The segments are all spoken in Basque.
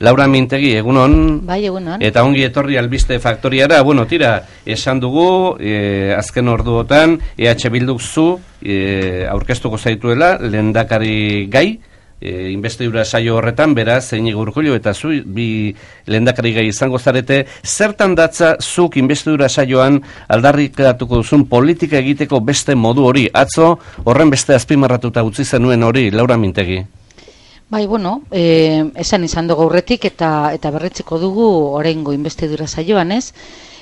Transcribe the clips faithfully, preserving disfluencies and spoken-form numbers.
Laura Mintegi, egunon. Bai, egunon. Eta ongi etorri albiste faktoriara. Bueno, tira, esan dugu, e, azken orduotan, E H Bilduk zu e, aurkeztuko zaituela, lehendakari gai, e, investidura saio horretan, beraz, Iñigo Urkullu eta zu, bi lehendakari gai izango zarete, zertan datza zuk investidura saioan aldarrikatuko duzun politika egiteko beste modu hori, atzo horren beste azpimarratuta utzi zenuen hori, Laura Mintegi. Bai, bueno, eh, esan izan dugu aurretik eta eta berretzeko dugu oraingo investidura saioan, ez?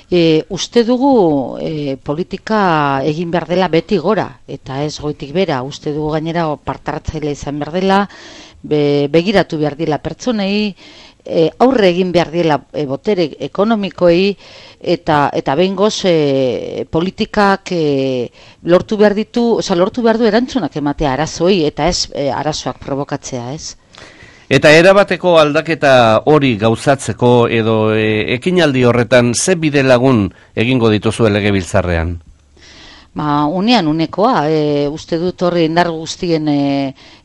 E, uste dugu e, politika egin behar dela beti gora, eta ez goitik bera, uste dugu gainera partartzaile izan behar dela, be, begiratu behar dela pertsonei, e, aurre egin behar dela e, botere ekonomikoei, eta eta behingoz e, politikak e, lortu behar ditu, oza, lortu behar du erantzunak ematea arazoei, eta ez e, arazoak provokatzea, ez? Eta erabateko aldaketa hori gauzatzeko edo e, ekinaldi horretan ze bide lagun egingo dituzu legebiltzarrean? Ba, unean unekoa, e, uste dut horri indar guztien e,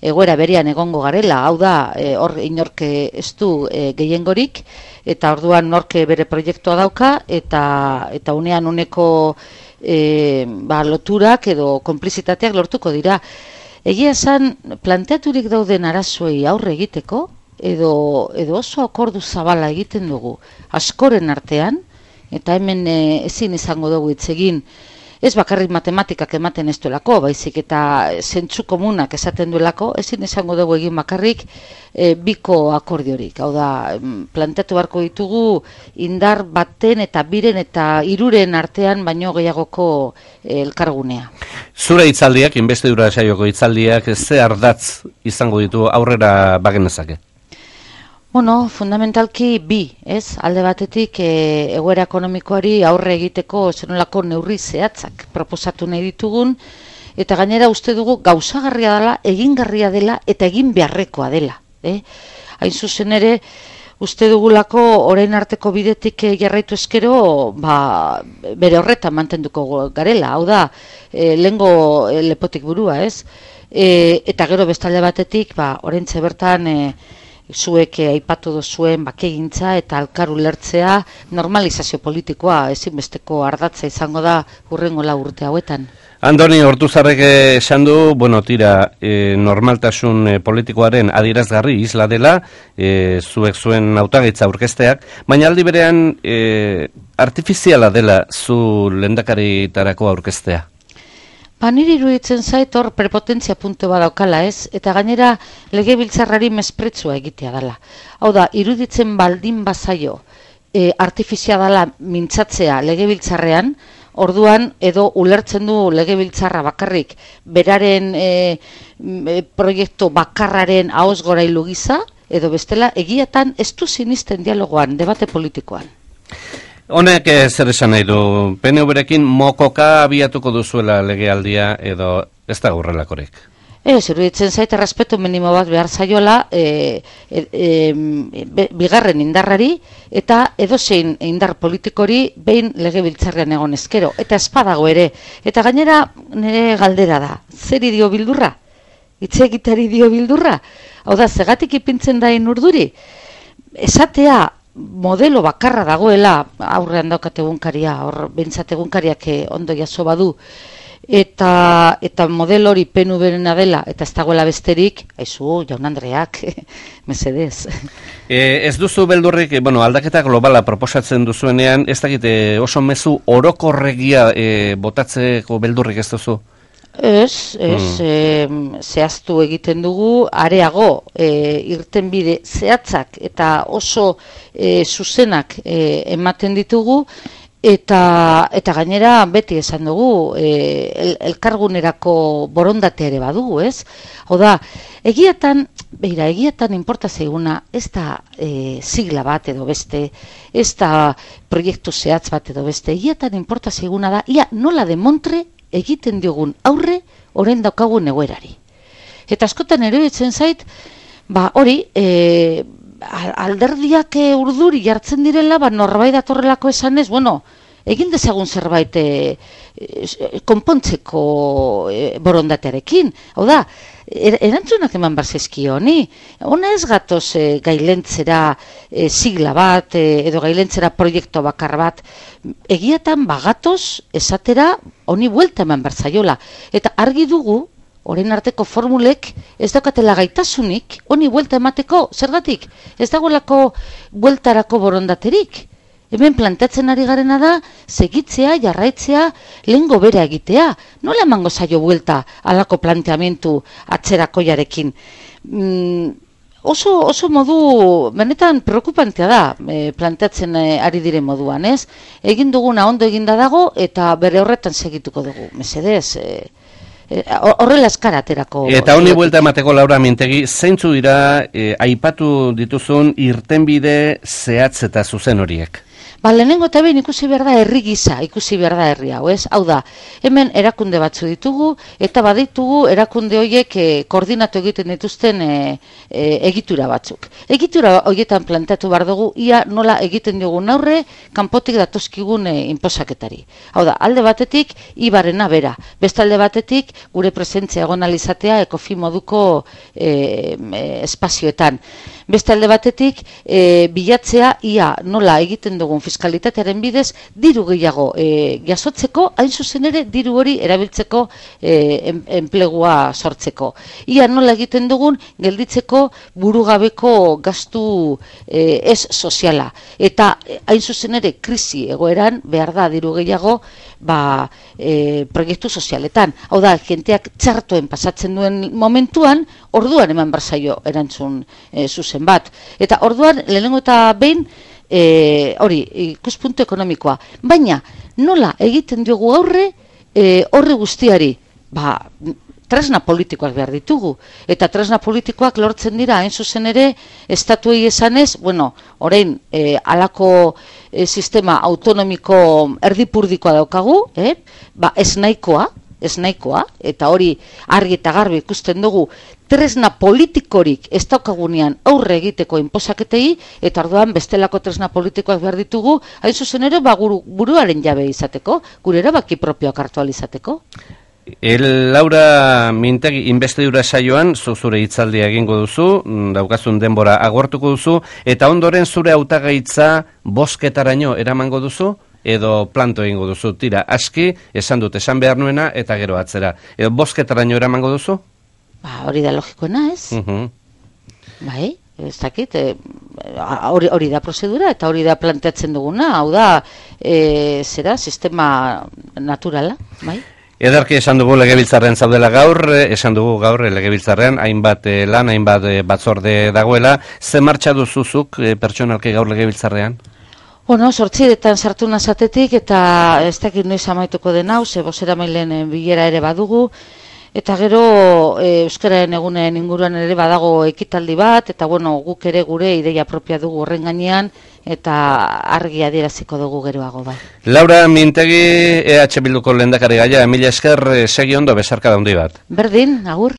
egoera berean egongo garela, hau da, e, hor inorke ez du e, gehiengorik, eta orduan norke bere proiektua dauka, eta eta unean uneko e, ba, loturak edo konplizitateak lortuko dira. Egia esan, planteaturik dauden arazoei aurre egiteko, edo, edo oso akordu zabala egiten dugu askoren artean, eta hemen e, ezin izango dugu hitz egin, ez bakarrik matematikak ematen ez duelako, baizik eta zentzu komunak esaten duelako, ezin izango dugu egin bakarrik e, biko akordiorik. Hau da, planteatu beharko ditugu indar baten eta biren eta hiruren artean baino gehiagoko e, elkargunea. Zure hitzaldiak, investidura saioko hitzaldiak, ze ardatz izango ditu aurrera bagenezake? Bueno, fundamentalki bi, ez? Alde batetik e, egoera ekonomikoari aurre egiteko zenolako neurri zehatzak proposatu nahi ditugun, eta gainera uste dugu gauzagarria dela, egingarria dela eta egin beharrekoa dela. Eh? Hain zuzen ere, uste dugulako orain arteko bidetik jarraitu eskero, ba, bere horretan mantenduko garela, hau da, e, lehengo e, lepotik burua, ez? E, eta gero bestalde batetik, ba, oraintxe bertan, e, zuek aipatu duzuen bakegintza eta elkar ulertzea normalizazio politikoa ezinbesteko ardatza izango da hurrengo lau urte hauetan. Andoni Ortuzarrek esan du, bueno, tira, e, normaltasun e, politikoaren adierazgarri isla dela, e, zuek zuen hautagaitza aurkezteak, baina aldi berean e, artifiziala dela zu lehendakaritarako aurkeztea. Ba, niri iruditzen zait hor prepotentzia puntu badaukala, ez? Eta gainera legebiltzarrari mespretzua egitea dela. Hau da, iruditzen baldin bazaio e, artifizia dela mintzatzea legebiltzarrean, orduan edo ulertzen du legebiltzarra bakarrik beraren e, e, proiektu bakarraren ahoz gorailu gisa, edo bestela egiatan ez du sinisten dialogoan, debate politikoan. Honek zer esan nahi du, P N V-rekin mokoka abiatuko duzuela legealdia edo ez da horrelakorik? Ez, iruditzen zaite respetu minimo bat behar zaiola e, e, e, be, bigarren indarrari eta edozein indar politikori behin legebiltzarrean egon ezkero. Eta espadago ere. Eta gainera nire galdera da, zeri dio bildurra? Itzegitari dio bildurra? Hau da, zegatik ipintzen dain urduri? Esatea, modelo bakarra dagoela, aurrean daukat egunkaria, hor behintzat egunkariak ondo jaso badu, eta eta modelo hori P N V-rena dela, eta ez dagoela besterik, aizu, jaun Andreak, mesedez. E, ez duzu beldurrik, bueno, aldaketa globala proposatzen duzuenean, ez dakite oso mezu orokorregia e, botatzeko beldurrik ez duzu? Ez, ez, mm. e, zehaztu egiten dugu, areago, e, irtenbide zehatzak eta oso e, zuzenak e, ematen ditugu, eta eta gainera beti esan dugu, e, el, elkargunerako borondatea ere badugu, ez? Hau da, egiatan, beira, egiatan inporta zaiguna, ez da e, sigla bat edo beste, ez da proiektu zehatz bat edo beste, egiatan inporta zaiguna da, ia nola demontre egiten diogun aurre orain daukagun egoerari. Eta askotan eruditzen zait, ba hori, e, alderdiak urduri jartzen direla, ba norbait datorrelako esanez, bueno, egin dezagun zerbait e, e, konpontzeko e, borondatearekin. Hau da, er, erantzunak eman barzezkio honi. Hona ez gatoz e, gailentzera e, sigla bat e, edo gailentzera proiektu bakar bat. Egiatan bagatoz esatera honi buelta eman barzaiola. Eta argi dugu, orain arteko formulek ez daukatela gaitasunik honi buelta emateko, zergatik? Ez dagoelako bueltarako borondaterik. Hemen planteatzen ari garena da, segitzea, jarraitzea, lehengo bera egitea. Nola emango zaio buelta alako planteamentu atzerakoiarekin? Mm, oso, oso modu, benetan preokupantea da, e, planteatzen e, ari diren moduan, ez? Egin duguna ondo eginda dago eta bere horretan segituko dugu. Mesedez, e, horrela eskara aterako. Eta honi buelta emateko, Laura Mintegi, zeintzu dira e, aipatu dituzun irtenbide zehatz eta zuzen horiek? Ba, lehenengo eta behin ikusi behar da herri gisa, ikusi behar da herri hau, ez? Hau da, hemen erakunde batzu ditugu, eta baditugu erakunde horiek e, koordinatu egiten dituzten e, e, egitura batzuk. Egitura horietan planteatu behar dugu, ia nola egiten dugun aurre, kanpotik datozkigun e, inposaketari. Hau da, alde batetik, ibarena bera. Beste alde batetik, gure presentzia egon alizatea ekofi moduko e, e, espazioetan. Beste alde batetik, e, bilatzea ia nola egiten dugun fiskalitatearen bidez diru gehiago e, jasotzeko, hain zuzen ere diru hori erabiltzeko e, enplegua sortzeko. Ia nola egiten dugun gelditzeko burugabeko gastu e, ez soziala. Eta hain zuzen ere krisi egoeran behar da diru gehiago ba, e, proiektu sozialetan. Hau da, jenteak txartoen pasatzen duen momentuan, orduan eman barzaio erantzun e, zuzen bat. Eta orduan, lehenengo eta behin, e, hori, ikuspuntu ekonomikoa. Baina, nola egiten diogu aurre e, horri guztiari? Ba, tresna politikoak behar ditugu. Eta tresna politikoak lortzen dira, hain zuzen ere, estatuei esanez, bueno, orain, e, alako e, sistema autonomiko erdipurdikoa daukagu, eh? Ba, ez nahikoa, ez nahikoa, eta hori argi eta garbi ikusten dugu, tresna politikorik ez daukagunean aurre egiteko inposaketei, eta orduan bestelako tresna politikoak behar ditugu, hain zuzen ere, ba, guru, buruaren jabe izateko, gure erabaki propioak hartu ahal izateko. El Laura Mintegi investidura saioan zure hitzaldia egingo duzu, daukazun denbora agortuko duzu, eta ondoren zure hautagaitza bozketaraino eramango duzu, edo planto egingo duzu. Tira, aski, esan dut, esan behar nuena, eta gero atzera. Edo bozketaraino eramango duzu? Ba, hori da logikoena, ez? Uh -huh. Bai, ez dakit, e, hori, hori da prozedura, eta hori da planteatzen duguna, hau da, e, zera, sistema naturala, bai? Edarki esan dugu legebiltzarren zaudela gaur, esan dugu gaur legebiltzarren, hainbat eh, lan, hainbat eh, batzorde dagoela. Ze martxa duzuzuk eh, pertsonalki gaur legebiltzarrean? Bueno, sortziretan sartu nazatetik, eta ez dakit noiz amaituko den hau, ze bozera mailen bilera ere badugu, eta gero e, euskararen egunen inguruan ere badago ekitaldi bat, eta bueno, guk ere gure ideia propia dugu horren gainean, eta argi adieraziko dugu geroago bai. Laura Mintegi, E H Bilduko lehendakari gaia, mila esker, segi ondo, besarka daundi bat. Berdin, agur.